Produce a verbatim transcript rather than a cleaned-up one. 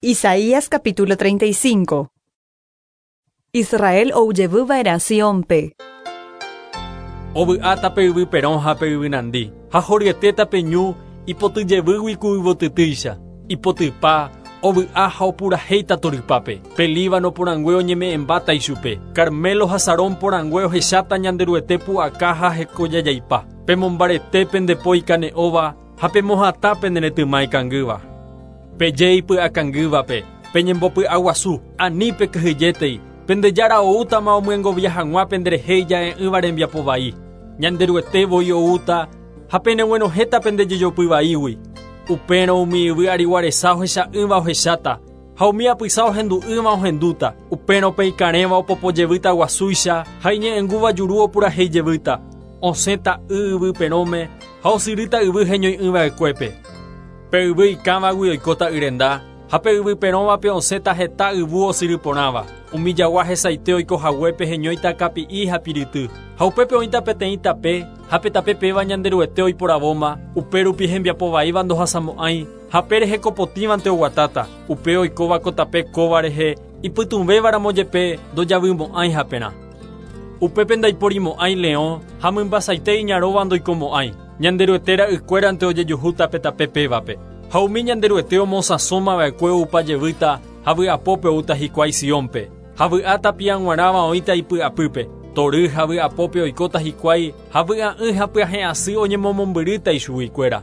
Isaías capítulo treinta y cinco. Israel oujevýva'erã Siónpe. Ovy'áta pe yvy perõ ha pe yvy nandi, ha horyetéta pe ñu ipotyjevýgui ku yvotytýicha, ipotypa, ovy'a ha opurahéita torypápe. Pe Líbano porãngue oñeme'ẽmbáta ichupe, Carmelo ha Sarón porãngue ohecháta Ñanderuete pu'aka ha hekojajaipa. Pemombarete pendepo ikane'õva ha pemohatã pene retyma ikangýva. Peje ipy'akangývape, peñembopy'aguasu, ani pekyhyjétei, pendejára oútama omyengovia hag̃ua penderehe ija'e'ỹva rembiapo vai. Ñanderuete voi oúta ha peneguenohẽta pendejejopyvaígui. Upérõ umi yvy ariguaresa ohecha'ỹva ohecháta, ha umi apysa ohendu'ỹva ohendúta. Upérõ pe ikarẽva opopojevýta guasúicha ha iñe'ẽngúva juru opurahéijevýta. Osẽta y yvy perõme ha osyrýta yvy heñoi'ỹva'ekuépe. Pe yvy ikãvagui oikóta yrenda, ha pe yvy perõvape osẽta heta yvu osyry porãva. Umi jagua hesaite oikohaguépe heñóita kapi'i ha piryty. Ha upépe oĩta peteĩ tape, ha pe tape péva Ñanderuete oiporavóma, upérupi hembiapo vaíva ndohasamo'ãi, ha pe rehe kopotĩvante oguatáta. Upe oikóva ko tape kóva rehe, ipytũvévaramo jepe ndojavymo'ãi haperã. Upépe ndaiporimo'ãi leõ ha mymbasaite iñaróva ndoikomo'ãi. Ñanderuete ra'ykuérante ojejuhúta pe tape pévape. Ha umi Ñanderuete omosãsómava'ekue oupa jevýta ha vy'apópe oúta hikuái Siónpe. Ha vy'áta piag̃uarãva oĩta ipy'apýpe. Tory ha vy'apópe oikóta hikuái ha vy'a'ỹ ha pyahẽ asy oñemomombyrýta ichuguikuéra.